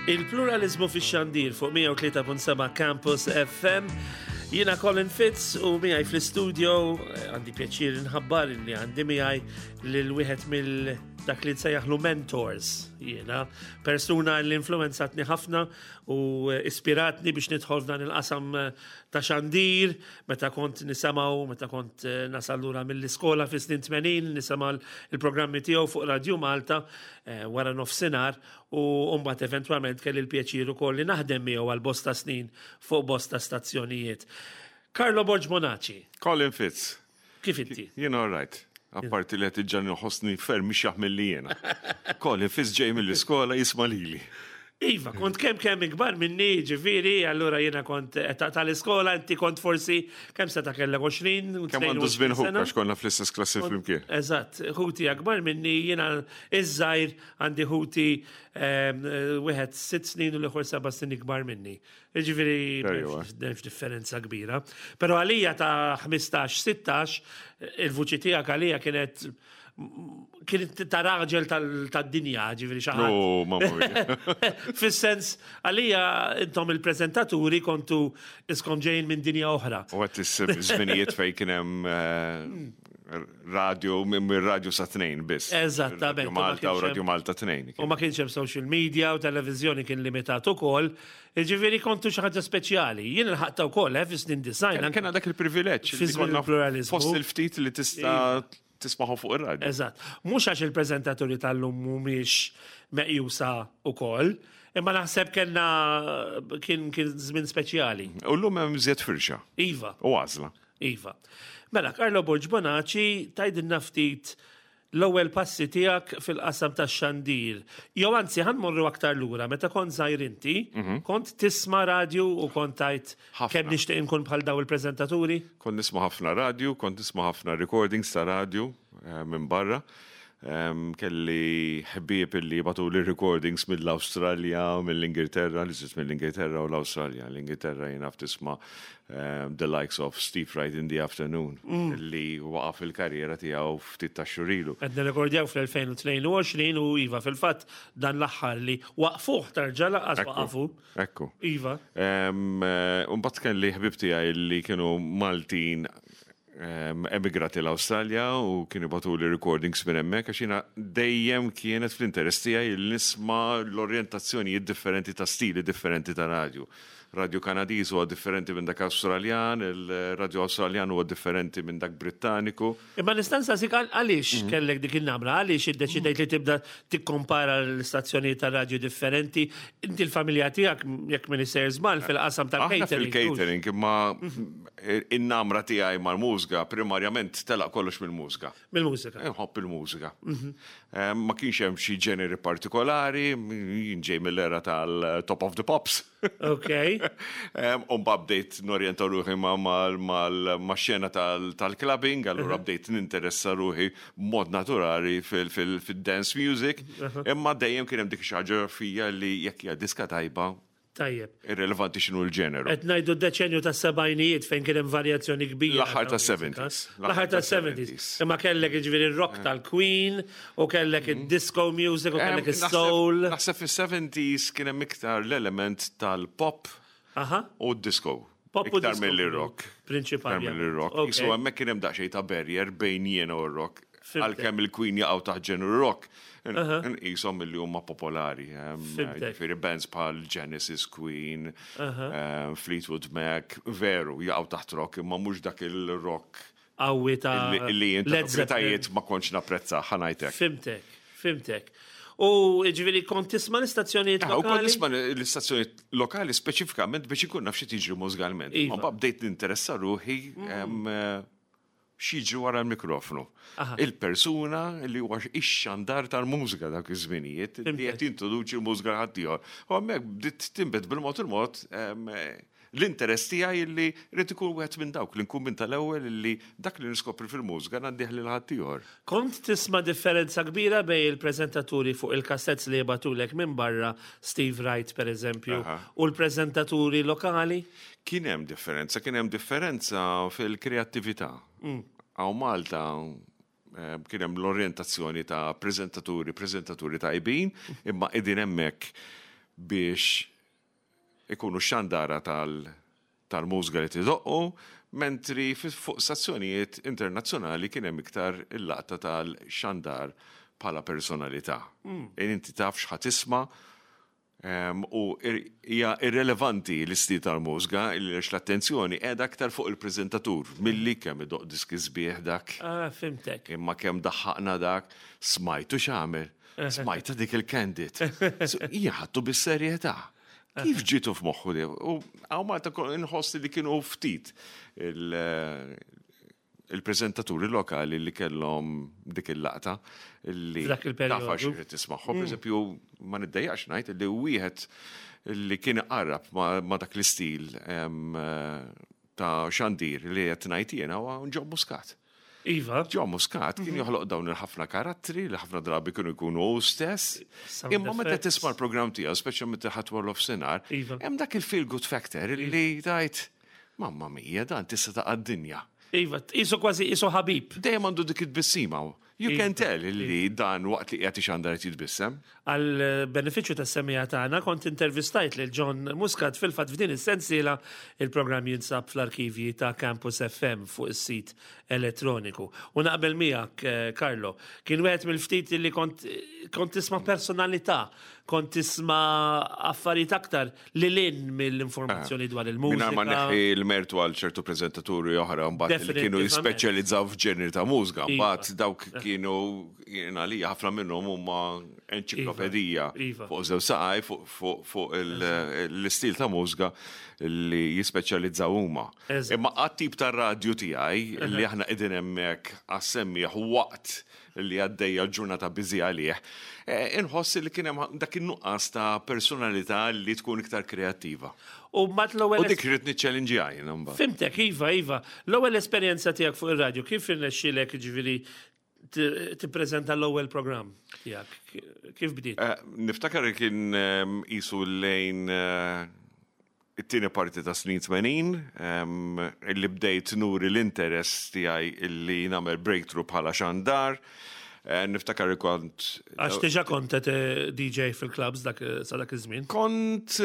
Il-pluralizmu fix-xandir fuq 103.7 Campus FM. Jiena Colin Fitz u miegħi fl-istudio eh, għandi pjaċir nħabbar li għandi miegħi lil wieħed mill dak li nsejjaħlu mentors jiena persuna li influenzatni ħafna u eh, ispiratni biex nidħol f'dan il-qasam eh, ta' xandir meta kont nisemgħu meta kont nasal lura mill-iskola fis-snin 80 nisema' il-programmi tiegħu fuq Radio Malta wara nofsinhar u mbagħad eventwalment kelli l-pjaċir ukoll li naħdem miegħu għal bosta snin fuq bosta stazzjonijiet. Carlo Borg Monaci. Colin Fitz. Kif inti? Jien all right. Apparti li qed iġġan nħossni ferm mhix jaħmel li jiena. Colin Fitz ġej mill-iskola jisma' lili. Iva, kont kemm kemm ikbar minni, ġifieri, allura jiena kont tal-iskola, inti kont forsi kemm seta' kellek 20 u Kemm għandu żmien ħuk għax konna fl-istess klassi flimkien. Eżatt, ħuti akbar minni, jiena iż-żgħir Għandi ħuti ehm, wieħed sitt snin u l-ieħor seba' snin ikbar minni. Jiġifieri m'hemmx differenza kbira. Però għalija ta' 15-16 il-vuċi tiegħek għalija kienet kienet ta' raġel tad-dinja, ġifieri xi ħadd. Fis-sens għalija intom il-preżentaturi kontu iskom ġejjin minn dinja oħra. U qed żminijiet fejn kien hemm eh, radio, minn radio sa tnejn biss. Eżattament. Malta u Radio Malta tnejn. U ma kienx hemm social media u televiżjoni kien limitat ukoll. Jiġifieri kontu xi ħaġa speċjali. Jien il-ħaqta wkoll eh, fis-snin design. Kien dak il-privileġġ. Fi żmien il-pluralizmu. Fost il-ftit li tista' tismaħu fuq ir-radio. Eżatt. Mhux għax il-preżentaturi tal-lum mhumiex meqjusa ukoll, imma naħseb kellna kien kien żmien speċjali. U llum hemm żjed firxa. Iva. U għażla. Iva. Mela, Carlo Borg Bonaci, tgħidilna ftit l-ewwel passi tiegħek fil-qasam tax-xandir. Jew anzi, ħa nmorru aktar lura, meta kont żgħir inti, mhm. kont tisma' radju u kont tgħid kemm nixtieq inkun bħal daw il-preżentaturi? Kont nisma' ħafna radju, kont nisma' ħafna recordings ta' radju eh, minn barra. Kelli ħbieb li jibgħatuli recordings mill-Awstralja, mill-Ingilterra, li sirt mill-Ingilterra u l-Awstralja. L-Ingilterra jien naf tisma' the likes of Steve Wright in the Afternoon, mm. li waqaf il-karriera tiegħu ftit ta' xurilu. Qed nirrekordjaw fl-2022 u iva fil-fatt dan l-aħħar li waqfuh tarġa' laqas waqafu. Ekku. Iva. Eh, mbagħad kelli ħbieb tiegħi li kienu Maltin emigrati l-Awstralja u kienu jibagħtuli recordings minn hemmhekk għax jiena dejjem kienet fl-interess tiegħi li nisma' l-orjentazzjonijiet differenti ta' stili differenti ta' radju. Radio Kanadiż huwa differenti minn dak Awstraljan, il-radio Awstraljan huwa differenti minn dak Brittaniku. Imma nista' nsaqsik għaliex mhm. kellek dik in-namra, għaliex iddeċidejt li tibda tikkompara l-istazzjonijiet ta' radju differenti. Inti l-familja tiegħek jekk minn sejjer żball fil-qasam tal-catering. Fil-catering, imma mhm. In-namra tiegħi mal-mużika primarjament telaq kollox mill-mużika. Mill-mużika. Inħobb il-mużika. Mhm. Eh, ma kienx hemm xi ġeneri partikolari, jien ġej mill-era tal-Top of the Pops. Ok. Eh, u mbagħad bdejt norjenta ruħi ma' xena tal-clubbing, allura mhm. bdejt ninteressa ruħi mod naturali fil-dance music, imma dejjem kien hemm dik xi ħaġa fija li jekk hija diska tajba, Tajjeb. Irrelevanti x'inhu l-ġeneru. Qed ngħidu d-deċenju tas-sebgħinijiet fejn kien hemm varjazzjoni kbira. L-aħħar tas-70s. L-aħħar tas-70s. Imma kellek jiġifieri r-rock tal-Queen u kellek mm. id-disco music u kellek is-soul. Naħseb fis-70s kien hemm iktar l-element tal-pop u d-disco. Pop u Iktar mill-rock. Prinċipali. Iktar mill-rock. Isu hemmhekk kien hemm daqsxejn ta' barrier bejn jiena u r-rock. Għalkemm il-Queen jaqgħu taħt ġenru rock, nqishom milli huma popolari. Ġifieri bands bħal Genesis, Queen, Fleetwood Mac, veru jaqgħu taħt rock, imma mhux dak il-rock qawwi ta' li jien ta' ma kontx napprezza ħa ngħidlek. Fimtek, fimtek. U ġifieri kont tisma' l-istazzjonijiet lokali? Kont nisma' l-istazzjonijiet lokali speċifikament biex inkun naf xi tiġri mużikalment. Iva. Ma bdejt ninteressa ruħi mm. eh, x'jiġri wara l-mikrofnu. Il-persuna li huwa ix-xandar tal-mużika dak iż-żminijiet li qed jintroduċi l-mużika ħaddieħor. U hemmhekk bdiet tinbet bil-mod il-mod L-interess tiegħi li rrid ikun wieħed minn dawk li nkun minn tal-ewwel li dak li niskopri fil-mużika ngħaddih lil ħaddieħor. Kont tisma' differenza kbira bejn il-preżentaturi fuq il-cassettes li jibagħtulek minn barra, Steve Wright per eżempju, u l-preżentaturi lokali? Kien hemm differenza, kien hemm differenza fil-kreattività. Hawn Malta kien hemm l-orjentazzjoni ta' preżentaturi, preżentaturi tajbin, imma qegħdin hemmhekk. biex ikunu xandara tal-mużika li tidoqqu, mentri fuq stazzjonijiet internazzjonali kien hemm iktar il-laqta tal-xandar bħala personalità. Inti taf x'ħa tisma' u hija irrelevanti l-istil tal-mużika għax l-attenzjoni qiegħda aktar fuq il-preżentatur milli kemm idoqq diski sbieħ dak. Ah, fhimtek. Imma kemm daħħaqna dak, smajtu x'għamel, smajta dik il-candid. Hija ħadtu bis-serjetà. Kif ġitu f'moħħu li? U hawn Malta inħoss li kienu ftit il-preżentaturi lokali li kellhom dik il-laqta li F'dak il-perjodu. Tafa xi tismagħhom. Per eżempju, ma niddejjaqx ngħid li wieħed li kien iqarrab ma dak l-istil ta' xandir li qed ngħid jiena huwa John Muscat. John Muscat kien joħloq dawn il-ħafna karattri li ħafna drabi kienu jkunu hu stess. Sound Imma meta effects. tisma' l-programm tiegħu, speċjalment meta ħadd wara nofsinhar, hemm dak il-feel good factor li tgħid, mamma mia, dan tista' taqa' d-dinja. Iva, qisu kważi qisu ħabib. Dejjem għandu dik it-tbissima. You can tell li dan waqt li qiegħed ixandar qed jitbissem. Għal benefiċċju tas-semmiegħa tagħna kont intervistajt lil John Muscat fil-fatt f'din is-sensiela. Il-programm jinsab fl-arkivji ta' Campus FM fuq is-sit elettroniku. U naqbel miegħek, Carlo, kien wieħed mill-ftit li kont tisma' personalità, kont tisma' affarijiet aktar lil hinn mill-informazzjoni dwar il-mużika. Mingħajr ma neħħi l-mertu għal ċertu preżentaturi oħra mbagħad li kienu jispeċjalizzaw f'ġeneri ta' mużika, mbagħad dawk kienu jiena li ħafna minnhom huma enċiklopedija fuq żewġ saqaj fuq l-istil ta' mużika li jispeċjalizzaw huma. Imma għat-tip ta' radju tiegħi li aħna qegħdin hemmhekk għas-semmiegħ waqt li għaddejja l-ġurnata biżi għalih, inħoss li kien hemm dak in-nuqqas ta' personalità li tkun iktar kreattiva. U mbagħad l-ewwel U dik rrid niċċellinġja jiena mbagħad. Fhimtek, iva, iva. L-ewwel esperjenza tiegħek fuq ir-radju, kif irnexxielek ġifieri tippreżenta l-ewwel programm tiegħek? Kif bdiet? Niftakar li kien qisu lejn it-tieni parti ta' snin 80, illi bdejt nuri l-interess tiegħi illi nagħmel breakthrough bħala xandar. Niftakar li kont Għax diġà kont qed DJ fil-clubs dak sa dak iż-żmien. Kont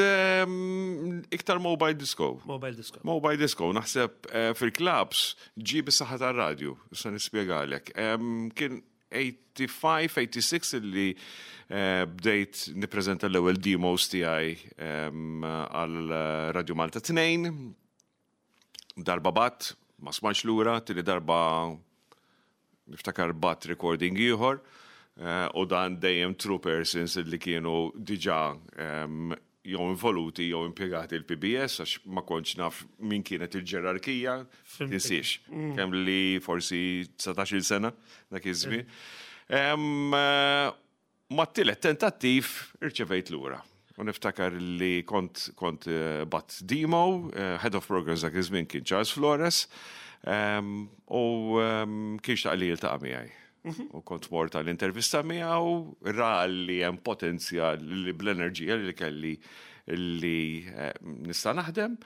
iktar mobile disco. Mobile disco. Mobile disco, naħseb fil-clubs ġie bis-saħħa tar-radju, issa nispjegalek. Kien 85, 86 illi bdejt nippreżenta l-ewwel demos tiegħi għal Radio Malta 2. Darba bgħatt, ma smajtx lura, tieni darba niftakar bgħatt recording ieħor, u dan dejjem true persons li kienu diġà jew involuti jew impjegati l-PBS, għax ma kontx naf min kienet il-ġerarkija, tinsiex. Kemm li forsi 19-il sena dak iż-żmien. Ma t-tielet tentattiv irċevejt lura. U niftakar li kont bgħatt demo, head of programs dak iż-żmien kien Charles Flores, u kien xtaq li jiltaqa' miegħi. U kont mort għall-intervista miegħu, ra li hemm potenzjal li bl-enerġija li kelli li nista' naħdem.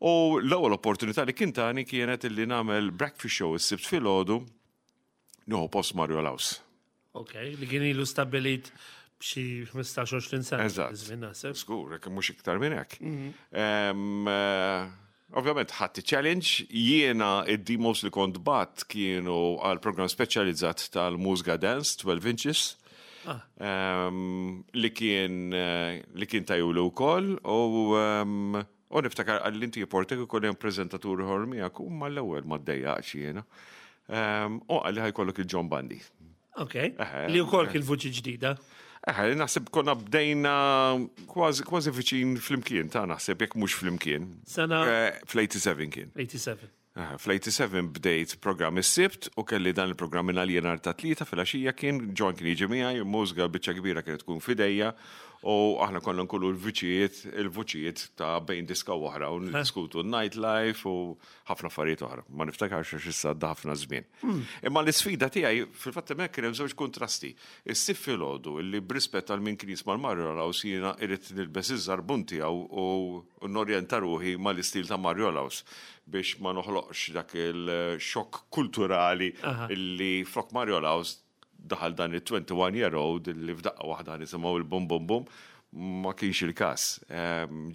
U l-ewwel opportunità li kien tani kienet li nagħmel breakfast show is-Sibt filgħodu nieħu post Mario Laus. Ok, li kien ilu stabbilit b'xi 15-20 sena. Eżatt. Żmien naħseb. Żgur, jekk mhux iktar minn hekk. Ovvjament ħadd challenge, jiena id-demos li kont bgħatt kienu għal program speċjalizzat tal-Mużga Dance 12 inches. Li kien tajulu wkoll u niftakar għall inti portek ukoll hemm preżentatur ieħor miegħek u mal-ewwel ma ddejjaqx jiena. U qalli ħa jkollok il-John Bundy. Ok, li wkoll kien vuċi ġdida. Eħe, naħseb konna bdejna kważi kważi viċin flimkien, ta' naħseb jekk mhux flimkien. Sena Fl-87 kien. 87. Eħe, fl-87 bdejt programm is-Sibt u kelli dan il-programm minn għalija nhar ta' Tlieta filgħaxija kien John kien jiġi miegħi, il-mużika biċċa kbira kienet tkun f'idejja u aħna konna nkunu l-vuċijiet ta' bejn diska u oħra u niddiskutu n-nightlife u ħafna affarijiet oħra. Ma niftakarx għax issa għadda ħafna żmien. Imma l-isfida tiegħi fil-fatt hemmhekk kien hemm żewġ kontrasti. Is-Sibt filgħodu li b'rispett għal min kien jisma' l-Mario Laus jiena irrid nilbes iż-żarbun tiegħu u norjenta ruħi mal-istil ta' Mario Laus biex ma noħloqx dak il-xokk kulturali illi flok Mario Laus daħal dan il-21 year old li f'daqqa waħda nisimgħu il-bum bum bum. Ma kienx il-każ.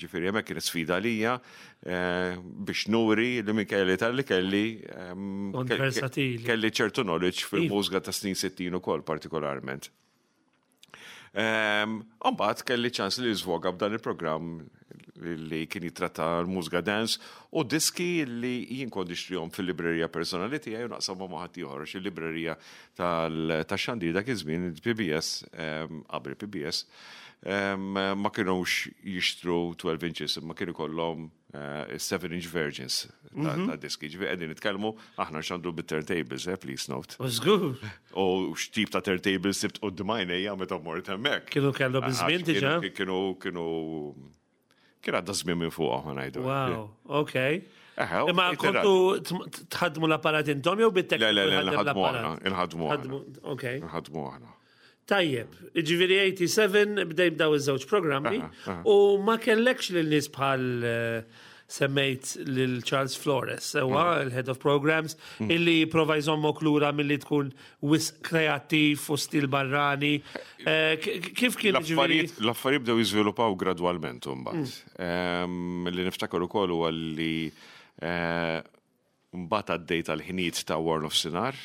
Ġifieri hemmhekk kienet sfida għalija biex nuri li minkejja li tal-li kelli kelli ċertu knowledge fil-mużika ta' snin 60 ukoll partikolarment. Mbagħad kelli ċans li żvoga b'dan il-programm li kien jitratta l-mużika dance u diski li jien kont nixtrihom fil-librerija personali tiegħi u naqsamhom ma' ħaddieħor għax il-librerija tal-xandir dak iż-żmien il-PBS qabel PBS ma kinux jixtru 12 inches imma kien ikollhom 7 inch versions ta' diski. Ġifieri qegħdin nitkellmu aħna xandu bit-turntables, eh, please note. Żgur. U x'tip ta' turntables sibt quddiem għajnejja meta mort hemmhekk. Kienu kellhom iż-żmien diġà. Kienu kienu kien għadda żmien minn fuq aħna ngħidu. Wow, okay. Imma kontu tħaddmu l-apparat intom jew bit-tekniku? Le, le, le, nħaddmu aħna. Nħaddmu aħna. Okay. Nħaddmu aħna. Tajjeb, ġifieri 87 bdej b'daw iż-żewġ programmi u ma kellekx lil nies bħal eh, semmejt lil Charles Flores, sewa mm. il-head of programs, mm. illi prova jżommok lura milli tkun wisq kreattiv u stil barrani. Eh, kif kien L-affarijiet bdew jiżviluppaw gradwalment imbagħad. Mm. Ehm, li niftakar ukoll huwa li eh, mbagħad għaddejt għal ħinijiet ta' war nofsinhar,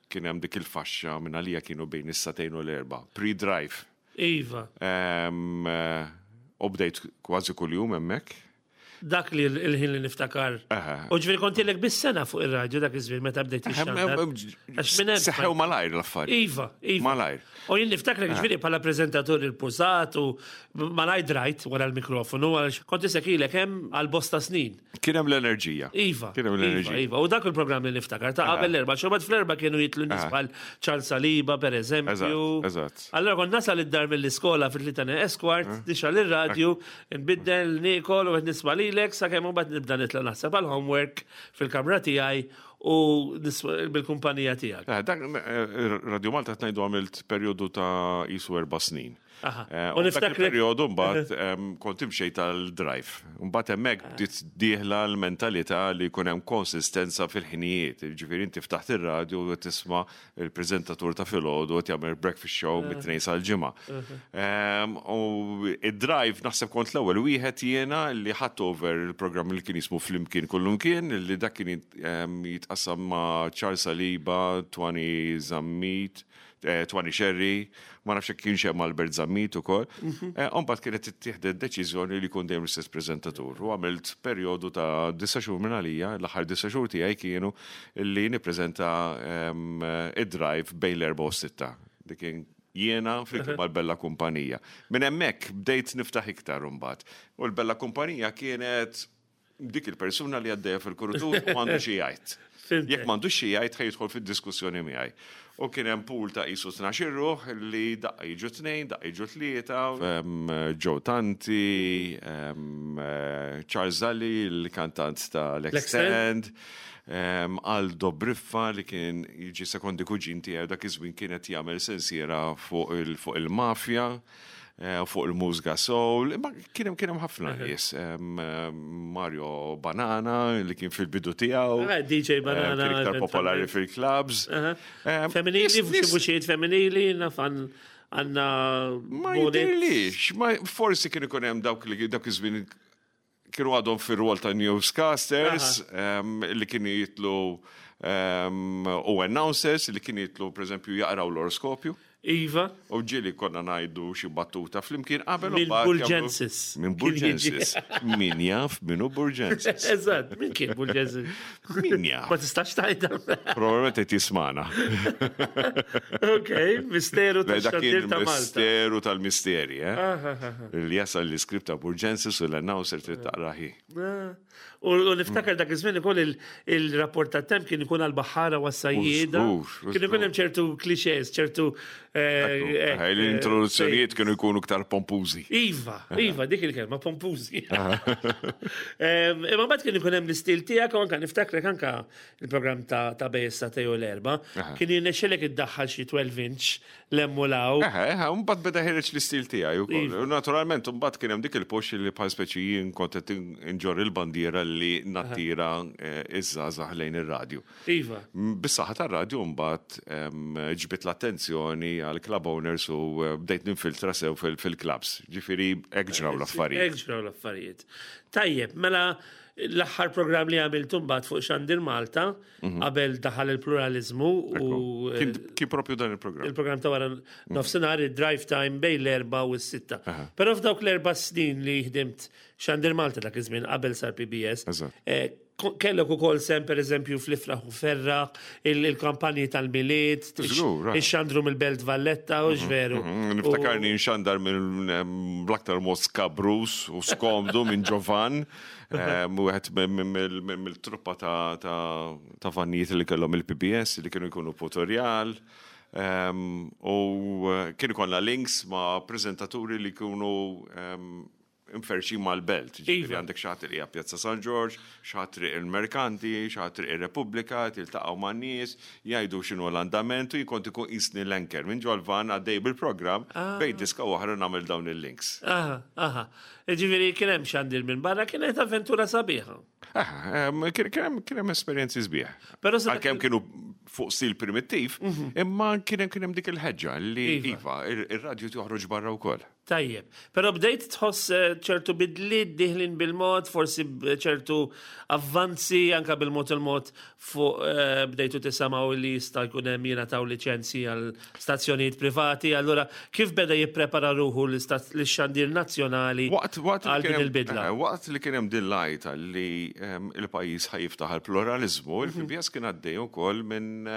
kien hemm dik il-faxxa minn għalija kienu bejn is-sagħtejn u l-erbgħa, pre-drive. Iva. Ehm, u bdejt kważi kuljum hemmhekk. Dak li l-ħin li niftakar. U ġifieri kont ilek bis-sena fuq ir-radju dak iż-żmien meta bdejt ixxandar. Għax minn hemm. Seħħew malajr l-affarijiet. Iva, iva. Malajr. U jien niftakrek ġifieri bħala preżentatur il-pużat u malajr drajt wara l-mikrofonu għax kont isek ilek hemm għal bosta snin. Kien hemm l-enerġija. Iva. Kien hemm l-enerġija. Iva, iva. U dak il-programm li niftakar ta' qabel l-erba', xorbat fl-erba' kienu jitlu nies bħal Charles Saliba pereżempju. Eżatt. Allora kont nasal id-dar mill-iskola fit-tlieta esquart, nixgħal ir-radju, nbiddel, niekol u qed nisma' lilek sakemm imbagħad nibda nitla' naħseb għall-homework fil-kamra tiegħi u bil-kumpanija tiegħek. Dak Radio Malta qed ngħidu għamilt perjodu ta' qisu erba' snin. Eh, u niftakar periodu mbagħad kont imxej tal-drive. Mbagħad hemmhekk ah. bdiet dieħla l-mentalità li jkun hemm konsistenza fil-ħinijiet. Ġifieri inti ftaħt ir-radju u tisma' il-preżentatur ta' filgħodu qed jagħmel breakfast show ah. mit-tnejn sal-ġimgħa. U id-drive naħseb kont l-ewwel wieħed jiena li ħadd over il-programm li kien jismu Flimkien Kullumkien li dak kien jitqassam ma' Charles Saliba, Twani Zammit, eh, Twani Sherry, ma nafx jekk kienx hemm Albert Zammit ukoll. Mhm. Eh, mbagħad kienet ittieħdet deċiżjoni li jkun dejjem l-istess preżentatur. U għamilt perjodu ta' disa' xhur minn għalija, l-aħħar disa' xhur tiegħi kienu li nippreżenta ehm, id-drive bejn l-erba' u s-sitta. Dik kien jiena flimkien mal-Bella Kumpanija. Minn hemmhekk bdejt niftaħ iktar imbagħad. U l-Bella Kumpanija kienet dik il-persuna li għaddejja fil-kurutur u għandu xi jgħid. Jekk m'għandux xi jgħid ħa jidħol fid-diskussjoni miegħi. U kien hemm pool ta' qisu 12 ruħ li daqqa jiġu tnejn, daqqa jiġu tlieta. Joe Tanti, Charles Zalli, il-kantant ta' l-Extend, Aldo Briffa li kien jiġi sekondi kuġin tiegħi dak iż-żmien kien qed jagħmel sensiera fuq il-mafja. Eh, fuq il-mużga soul, imma kien hemm kien hemm ħafna nies. Mario Banana li kien fil-bidu tiegħu. Ah, DJ Banana. Kien iktar popolari fil-clubs. Femminili, vuċijiet femminili, naf għanna. Ma jidirlix, ma forsi kien ikun hemm dawk li dawk iż-żmien kienu għadhom fir-rwol ta' newscasters li kienu jitlu u announcers li kienu jitlu pereżempju jaqraw l-oroskopju. Iva. U ġieli konna ngħidu xi battuta flimkien qabel u Minn Burgensis. Minn Burgensis. Min jaf min hu Burgensis. Eżatt, min kien Burgensis? Min jaf. Ma tistax tgħidha. Probabilment qed jismana. Ok, misteru tax-xandir ta' Malta. Misteru tal-misteri, eh? Li jasal l-iskript ta' Burgensis u l-announcer trid taqra hi. Ah. U niftakar dak iż-żmien ukoll il-rapport tat-temp kien ikun għall-baħħara u għas-sajjieda. Kien ikun hemm ċertu clichés, ċertu. Eh, eh, eh, L-introduzzjonijiet kienu jkunu iktar pompużi. Iva, iva, dik il-kelma pompużi. Imma mbagħad kien ikun hemm l-istil tiegħek u anke niftakrek anke il-programm ta' bejn is-sagħtejn u l-erbgħa, kien jirnexxilek iddaħħal xi 12 inch 'l hemm u 'l hawn. Eħe, eħe, u mbagħad beda ħireġ l-istil tiegħi wkoll. Iva. U naturalment mbagħad kien hemm dik il-push li bħal speċi jien kont qed inġorr il-bandiera li nattira eh, iż-żgħażagħ lejn ir-radju. Iva. Bis-saħħa tar-radju mbagħad ġbidt l-attenzjoni għal club owners u bdejt ninfiltra sew fil-clubs. Ġifieri hekk ġraw l-affarijiet. Hekk ġraw l-affarijiet. Tajjeb, mela l-aħħar programm li għamiltu mbagħad fuq Xandir Malta mhm. qabel daħal il-pluralizmu u eh, kien propju dan il-programm. Il-programm ta' wara mhm. nofsinhar id-drive time bejn l-erba' u s-sitta. Però f'dawk l-erba' snin li ħdimt Xandir Malta dak iż-żmien qabel sar PBS. Eh, kellek ukoll sem pereżempju fl-ifraħ u ferraħ, il-kampanji tal-Milied, ix-xandru mill-Belt Valletta u mhm, veru. Mhm, niftakarni nxandar minn bl-aktar mod skabrus u skomdu minn Ġovan, wieħed mill-truppa ta' vannijiet li kellhom il-PBS li kienu jkunu putorjal. U kienu konna links ma' prezentaturi li kienu imferrxin mal-belt. Ġifieri iva. għandek xi ħadd li Pjazza San Ġorġ, xi ħadd triq il-Merkanti, xi ħadd triq ir-Repubblika, tiltaqgħu man-nies, jgħidu x'inhu l-andament u jien kont ikun qisni l-anchor minn ġol-van għaddej bil-programm ah. bejn diska oħra nagħmel dawn il-links. Aha, aha. Ġifieri kien hemm xandir minn barra kienet avventura sabiħa. Kien hemm esperjenzi sbieħ. Però għalkemm kienu fuq stil primittiv, mhm. imma kien hemm dik il-ħeġġa li iva, iva ir-radju toħroġ barra wkoll. Tajjeb. Però bdejt tħoss eh, ċertu bidliet diħlin bil-mod, forsi ċertu avvanzi anka bil-mod il-mod fuq eh, bdejtu tisamaw li jista' jkun hemm jingħataw liċenzji għal stazzjonijiet privati. Allura kif beda jipprepara ruħu l-xandir nazzjonali għal din il-bidla? Eh, waqt li kien hemm din l-għajta li ehm, il-pajjiż ħajiftaħ għall-pluraliżmu, mhm. il-PBS kien għaddej ukoll minn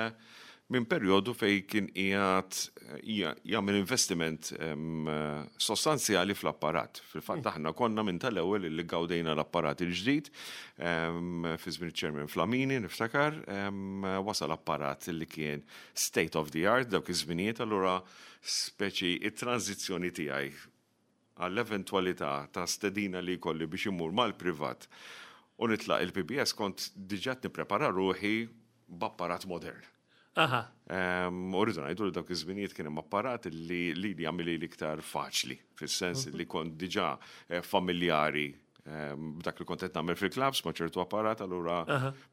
minn perjodu fejn kien qiegħed jagħmel investiment sostanzjali fl-apparat. Fil-fatt aħna konna minn tal-ewwel li gawdejna l-apparat il-ġdid fi żmien iċ-Chairman Flamini niftakar, wasal apparat li kien state of the art dawk iż-żminijiet allura speċi it-tranżizzjoni tiegħi għall-eventwalità ta' stedina li jkolli biex immur mal-privat u nitlaq il-PBS kont diġà qed nipprepara ruħi b'apparat modern. Aha. U rridu ngħidu li dawk iż-żminijiet kien hemm apparat li lili jagħmilli iktar faċli, fis-sens li kont diġà eh, familjari b'dak li kont qed nagħmel fil-clubs ma' ċertu apparat, allura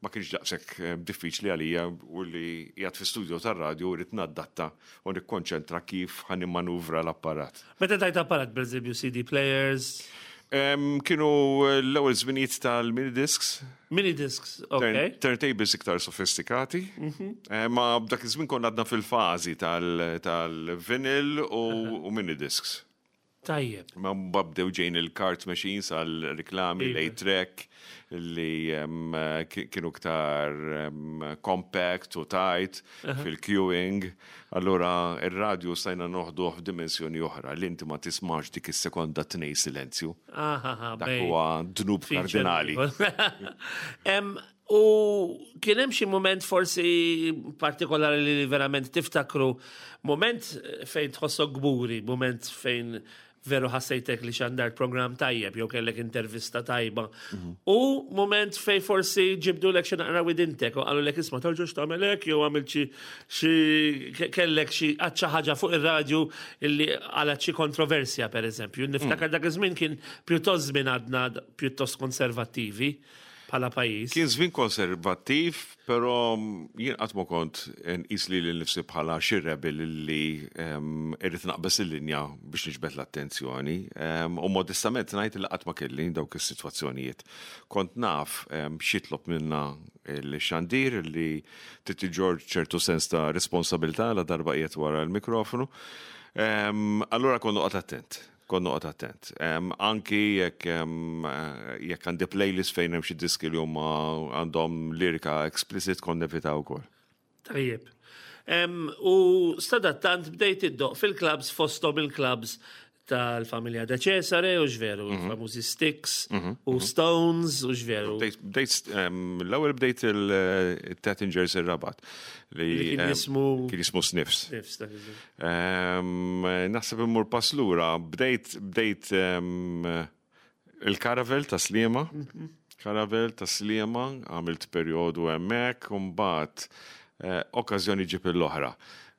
ma kienx daqshekk diffiċli għalija u li qiegħed fi studio tar-radju rrid naddatta u nikkonċentra kif ħa nimmanuvra l-apparat. Meta tajt apparat, pereżempju CD players? Kienu l-ewwel żminijiet tal-mini discs. Mini discs, ok. Turntables iktar sofistikati. Mhm. Ma b'dak iż-żmien konna għadna fil-fażi tal-vinyl u mini discs. Tajjeb. Ma bdew ġejn il-cart machines għal riklami, iva. l-A-Trek, li kienu ktar compact u tight fil-queuing. Allura ir-radju stajna noħduh f'dimensjoni oħra li inti ma tismax dik is-sekonda tnej silenzju. Dak huwa dnub kardinali. U kien hemm xi mument forsi partikolari li verament tiftakru, mument fejn tħossok gburi, mument fejn veru ħassejtek li xandart program tajjeb jew kellek intervista tajba. Mhm. U moment fejn forsi ġibdu lek xi naqra widintek u qalu lek isma' tarġux tagħmel hekk jew għamil xi kellek xi xi ħaġa fuq ir-radju illi għala xi kontroversja pereżempju. Niftakar mm. dak iż-żmien kien pjuttost żmien għadna pjuttost konservattivi. bħala pajjiż. Kien żmien konservattiv, però jien qatt ma kont nqis lili nnifsi bħala xi rebel li irrid naqbeż il-linja biex niġbed l-attenzjoni. U modestament ngħid li qatt ma kelli dawk is-sitwazzjonijiet. Kont naf x'jitlob minna l-xandir li trid iġorr ċertu sens ta' responsabilità la darba qiegħed wara l-mikrofonu. Allura kont noqgħod attent. Kont noqgħod attent. Anki jekk jekk għandi playlist fejn hemm xi diski li huma għandhom lirika explicit kont nevita wkoll. Tajjeb. U sadattant bdejt iddoq fil-clubs fosthom il-clubs tal-familja De Cesare u x'veru, mhm. famużi Sticks mhm, u mhm. Stones u x'veru. Bdejt l-ewwel bdejt il-Tattingers ir-Rabat li kien jismu kien jismu Sniffs. Sniffs, Naħseb immur pass lura, bdejt bdejt il-Caravel ta' Sliema. Mhm. Caravel ta' Sliema, għamilt perjodu hemmhekk, u mbagħad eh, okkażjoni ġib l-oħra.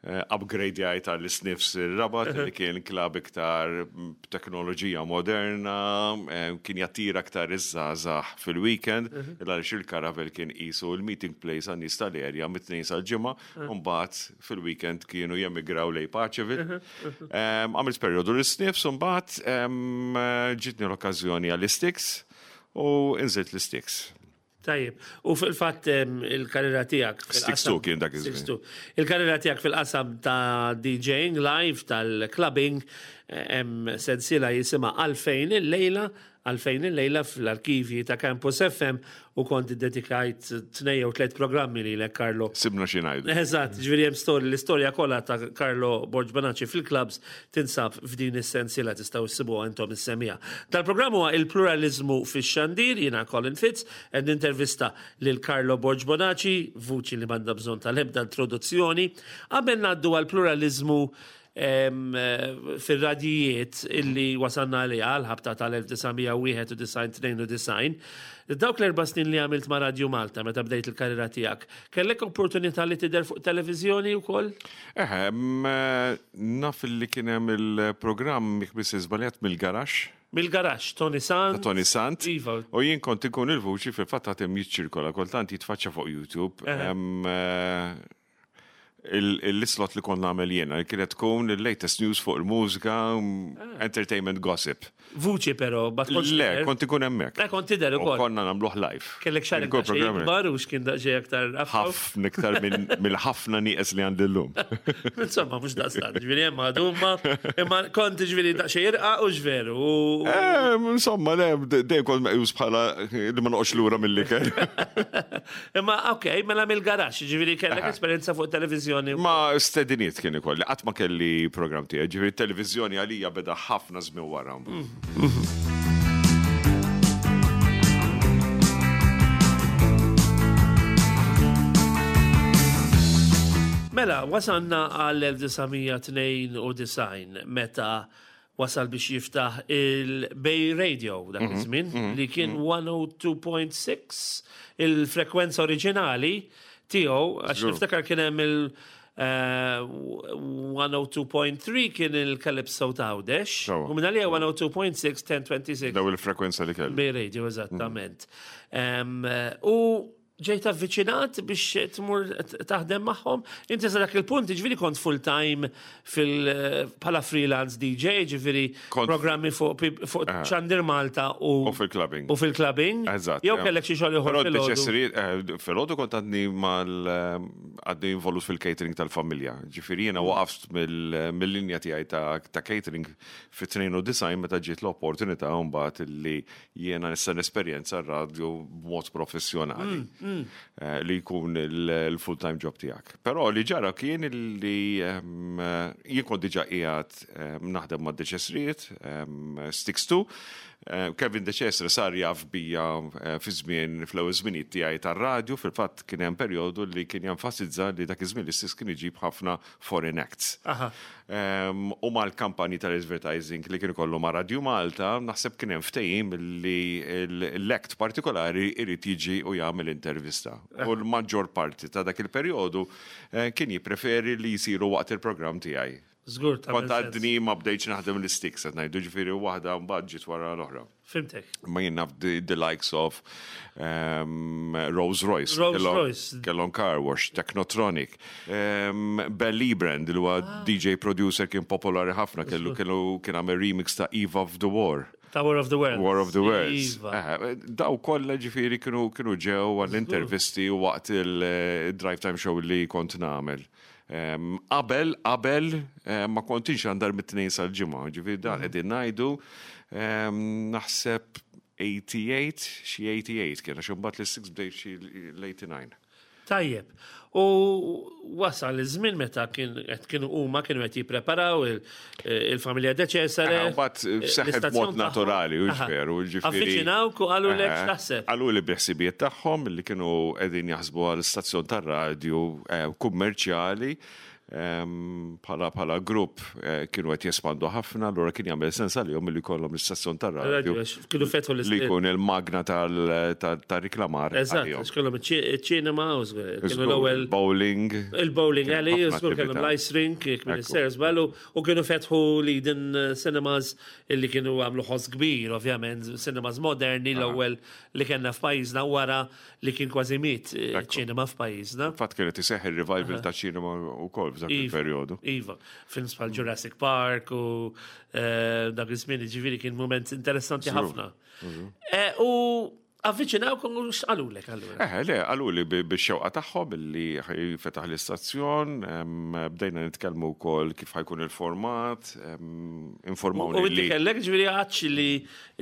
Upgrade jgħid għall-Sniffs ir-Rabat li kien klab iktar b'teknoloġija moderna, kien jattira aktar iż-żgħażagħ fil-weekend, għaliex il-Caravel kien qisu l-meeting place għan-nies tal-area mit-Tnejn sal-Ġimgħa, u mbagħad fil-weekend kienu jemigraw lejn Paceville. Għamilt perjodu l-Sniffs u mbagħad ġietni l-okkażjoni għall-Sticks u inżilt l-Sticks. Tajjeb, u fil-fatt il-karriera tiegħek. Six kien dak iż-żmien. Il-karriera tiegħek fil-qasam ta' DJing live tal-clubbing hemm sensiela jisimha Għalfejn il-lejla, għalfejn il-lejla fl-arkivji ta' Campus FM u kont iddedikajt tnej jew tliet programmi lilek Carlo. Sibna xi ngħidu. Eżatt, ġifieri hemm storja l-istorja kollha ta' Carlo Borg Bonacci fil-clubs tinsab f'din is-sensiela tistgħu issibuha intom is-semmiegħa. Dal-programm huwa il-pluraliżmu fix-xandir, jiena Colin Fitz, qed nintervista lil Carlo Borg Bonaci, vuċi li m'għandha bżonn tal-ebda introduzzjoni. Qabel ngħaddu għall-pluraliżmu fir-radjijiet illi wasalna għaliha għall-ħabta tal-1991-92, dawk l-erba' snin li għamilt ma' Radju Malta meta bdejt il-karriera tiegħek, kellek opportunità li tidher fuq televiżjoni wkoll? Eħe, naf li kien hemm il-programm jekk m'iniex żbaljat mill-garaxx. Mill-garaxx, Tony Sant. Ta' Tony Sant. Iva. U jien kont inkun il-vuċi fil-fatt għad hemm jiċċirkola kultant jitfaċċa fuq YouTube. l-islot li kont nagħmel jiena, li kienet tkun il-latest news fuq il-mużika, ah. entertainment gossip. Vuċi però, ma tkunx. Le, kont ikun hemmhekk. Eh, kont tidher ukoll. Konna nagħmluh live. Kellek xar ikbar u x'kien daqsxejn aktar ħafna iktar mill-ħafna nieqes li għandi llum. Insomma, mhux daqstant, ġifieri hemm għadhuma, imma kont ġifieri daqsxejn irqa u x'veru. Eh, insomma, le, dejjem kont meqjus bħala li ma noqgħodx lura mill-ikel. Imma ok, mela mill-garaxx, ġifieri kellek esperjenza fuq televiżjoni. Ma stediniet kien ikolli, qatt ma kelli programm tiegħi, ġifieri televiżjoni għalija beda ħafna żmien wara. Mela, wasalna għal-1992 meta wasal biex jiftaħ il-Bay Radio dak mhm, iż-żmien mhm, li kien 102.6 mhm. il-frekwenza oriġinali tiegħu għax niftakar kien hemm il- 102.3 eh, kien il-Calypso ta' Għawdex. U minn għalija 102.6 1026. Daw il-frekwenza li kellu. Bay Radio, eżattament. U Ġejt avviċinat biex tmur taħdem magħhom? Inti sa dak il-punt, ġifieri kont full time fil bħala freelance DJ, ġifieri programmi fuq fuq eh. Xandir Malta u U fil-clubbing. U fil-clubbing. Eżatt. Jew kellek xi xogħol ieħor filgħodu. Eh, filgħodu kont għadni mal eh, għadni involut fil-catering tal-familja. Ġifieri jiena waqaft mill-linja tiegħi ta' catering fit-92 meta ġiet l-opportunità mbagħad li jiena nista' nesperjenza r-radju b'mod professjonali mm, mm. Eh, li jkun il-full-time job tiegħek. Però li ġara kien li ehm, jien kont diġà qiegħed ehm, naħdem ma' Deċesriet, ehm, Sticks to, eh, Kevin De Cesare sar jaf bija eh, fi żmien fl-ewwel żminijiet tiegħi tar-radju, fil-fatt kien hemm perjodu li kien jenfasizza li dak iż-żmien li stess kien iġib ħafna foreign acts. U mal-kampanji tal-advertising li kien ikollu ma' Radju Malta, naħseb kien hemm ftehim li l-act partikolari irid jiġi u jagħmel intervista. U l-maġġor parti ta' dak il-perjodu eh, kien jippreferi li jsiru waqt il-programm tiegħi. Żgur ta' Kont għadni ma bdejtx naħdem l-isticks qed ngħidu ġifieri waħda mbagħad ġiet wara l-oħra. Fimtek. Ma jien naf the, the likes of um, Rolls Royce. Rolls Royce. Kellhom Car Wash, Technotronic. Um, Belly Brand, li huwa ah. DJ producer kien popolari ħafna, kellu kellu kien għamel remix ta' Eve of the War. Ta' War of the Worlds. War of the Worlds. Iva. Eh, daw kollha ġifieri kienu kienu ġew għall-intervisti waqt il-drive time show li kont nagħmel. Qabel, qabel ma kontix għandar mit-tnejn sal-ġimgħa, ġifieri dan mhm. qegħdin ngħidu naħseb 88, xi 88 kien, għax imbagħad l-6 bdejt xi l-89. Tajjeb. U wasal iż-żmien meta kien qed kienu huma kienu qed jippreparaw il-familja De Cesare. Mbagħad eh, seħħet mod naturali u veru, ġifieri. Avviċinawk u qalu lek x'taħseb. Qalu li biħsibijiet tagħhom li kienu qegħdin jaħsbu għal stazzjon tar-radju eh, kummerċjali. Bħala bħala grupp eh, kienu qed jespandu ħafna, allura kien jagħmel sens għalihom li jkollhom l-istazzjon tar-radju. Kienu fetħu l Li jkun il-magna tal-riklamar. Eżatt, għax kellhom iċ-ċinema, kienu l-ewwel. Bowling. Il-bowling alley, żgur kellhom l-ice rink, jekk minn is-sers u kienu fetħu l-Eden Cinemas illi kienu għamlu ħoss kbir, ovvjament, cinemas moderni l-ewwel li kellna f'pajjiżna wara li kien kważi miet eh, ċinema f'pajjiżna. Fatt kienet iseħħ il-revival ta' ċinema wkoll f'dak iva, il-perjodu. Iva, films bħal Jurassic Park u eh, dak iż-żmien ġifieri kien moment interessanti ħafna. Eh, u avviċinawkom u x'qalulek allura? Eh, le, qaluli bix-xewqa tagħhom billi fetaħ l-istazzjon, bdejna nitkellmu wkoll kif ħajkun il-format, informawni. U inti kellek ġifieri għadx li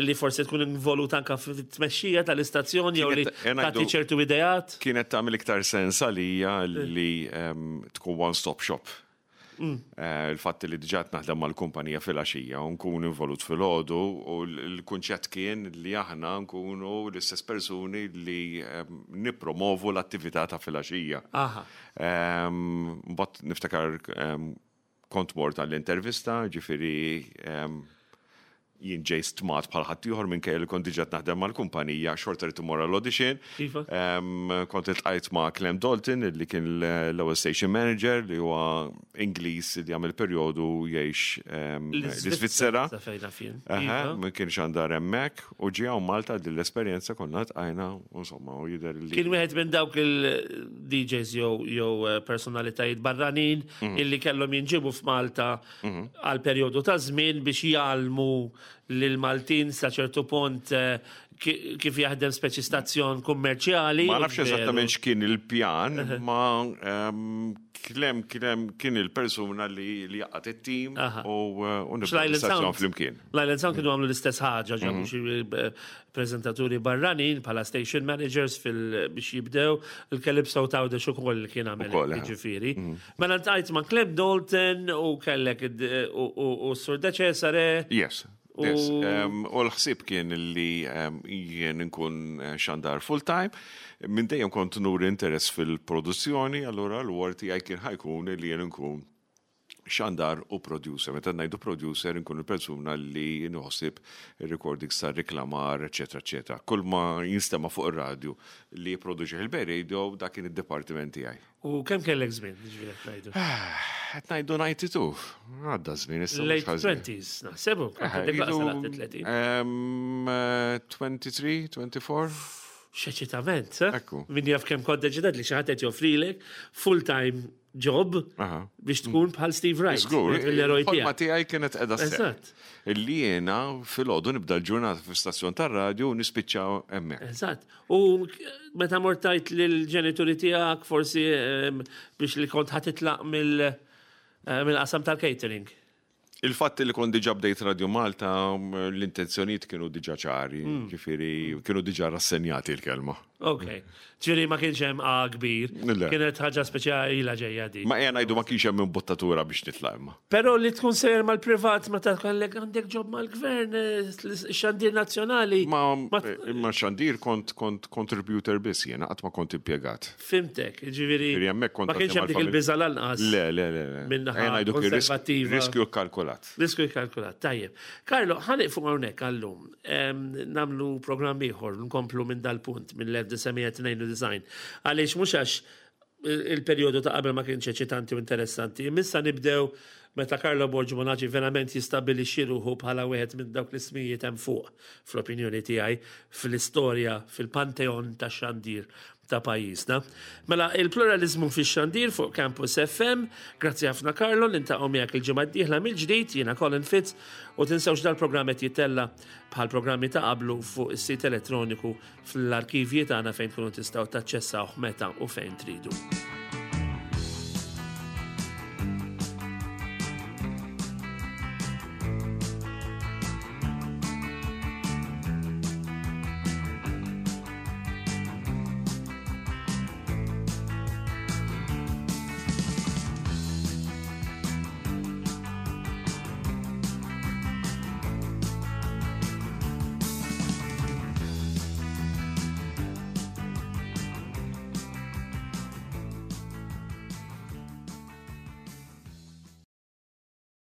li forsi tkun involut anka fit-tmexxija tal-istazzjon jew li tagħti ċertu ideat? Kienet tagħmel iktar sens għalija li ehm, tkun one-stop shop. Mm. Eh, il-fatt li diġà naħdem mal-kumpanija fil-għaxija u nkun involut fil-ħodu u l-kunċett kien li aħna nkunu l-istess persuni li ehm, nipromovu l-attività ta' fil-għaxija. Ehm, mbagħad niftakar Kont mort għall-intervista, ġifieri jien ġej stmat bħal ħaddieħor minkejja li kont diġà naħdem mal-kumpanija, xorta rrid immur għall-audition. Iva. Kont iltqajt ma' Clem Dalton, li kien l-ewwel station manager li huwa Ingliż li għamel perjodu jgħix l-Iżvizzera. Iva. Ma kienx għandar hemmhekk u ġie hawn Malta din l-esperjenza konna tqajna insomma u jidher li. Kien wieħed minn dawk il-DJs jew eh, personalitajiet barranin mhm. illi kellhom jinġibu f'Malta mhm. għal perjodu ta' żmien biex jgħallmu lil Maltin sa ċertu punt eh, kif jaħdem speċi stazzjon kummerċjali. Ma nafx eżattament x'kien il-pjan, ma ehm, klem klem kien il-persuna li li jaqgħad it-tim u eh, nibda l-istazzjon flimkien. L-Island Sound kienu għamlu l-istess ħaġa, ġabu mhm. xi eh, preżentaturi barranin bħala station managers fil biex jibdew il-Calypso ta' Għawdex ukoll li kien għamel jiġifieri. Mhm. Mela ltqajt ma' Clem Dalton u kellek u Sur De Cesare. Yes. U l-ħsieb kien li jien nkun eh, xandar full-time. Minn dejjem kont nuri interess fil-produzzjoni, allura l-wor tiegħi kien ħajkun li jien nkun xandar u producer. Meta ngħidu producer inkun il-persuna li nħossib il-recordings ta' reklamar, eċetera, eċetera. Kull ma jinstema' fuq ir-radju li jipproduċi il-Bay Radio dak kien id-dipartiment tiegħi. U kemm kellek żmien, ġifieri qed ngħidu? Qed ngħidu 92. Għadda żmien issa. Late 20s, naħsebu, kont 23, 24. X'eċitament, eh? Ekku. Min jaf kemm kont deċidat li xi ħadd qed joffrilek full-time job biex tkun bħal Steve Wright. Żgur, l-eroj tiegħek. Ma tiegħi kienet qiegħda Eżatt. Illi jiena filgħodu nibda l-ġurnata fl-istazzjon tar-radju u nispiċċa hemmhekk. Eżatt. U meta mort tgħid lill-ġenituri tiegħek forsi biex li kont ħa titlaq eh, mill-qasam tal-catering. Il-fatt li kont diġà bdejt Radio Malta, l-intenzjonijiet kienu diġà ċari, ġifieri kienu diġà rassenjati l-kelma. Ok. Ġifieri ma kienx hemm A kbir. Kienet ħaġa speċjali ilha ġejja di. Ma ejja ngħidu ma kienx hemm imbuttatura biex nitlaq imma. Però li tkun sejjer mal-privat meta kellek għandek ġob mal-gvern, xandir nazzjonali. Ma xandir kont kont contributor biss jiena qatt ma kont impjegat. Fimtek, ġifieri. Ma kienx hemm dik il-biża' lanqas. Le, le, le. Min-naħa konservattiva. Riskju kkalkulat. Riskju kkalkulat, tajjeb. Carlo, ħa nieqfu hawnhekk għallum. Nagħmlu programm ieħor, nkomplu minn dal-punt mill-1992. Għaliex mhux għax il-perjodu ta' qabel ma kienx eċitanti u interessanti. Imma issa nibdew meta Carlo Borg Monaci verament jistabbilixxi ruħu bħala wieħed minn dawk l-ismijiet hemm fuq, fl-opinjoni tiegħi, fl-istorja, fil-panteon tax-xandir ta' pajjiżna. Mela, il-pluralizmu fix-xandir fuq Campus FM, grazzi ħafna Carlo, niltaqgħu miegħek il-ġimgħa d-dieħla mill-ġdid, jiena Colin Fitz, u tinsewx dal-programm qed jittella bħal programmi ta' qablu fuq is-sit elettroniku fl-arkivji tagħna fejn tkunu tistgħu taċċessawh meta u fejn tridu.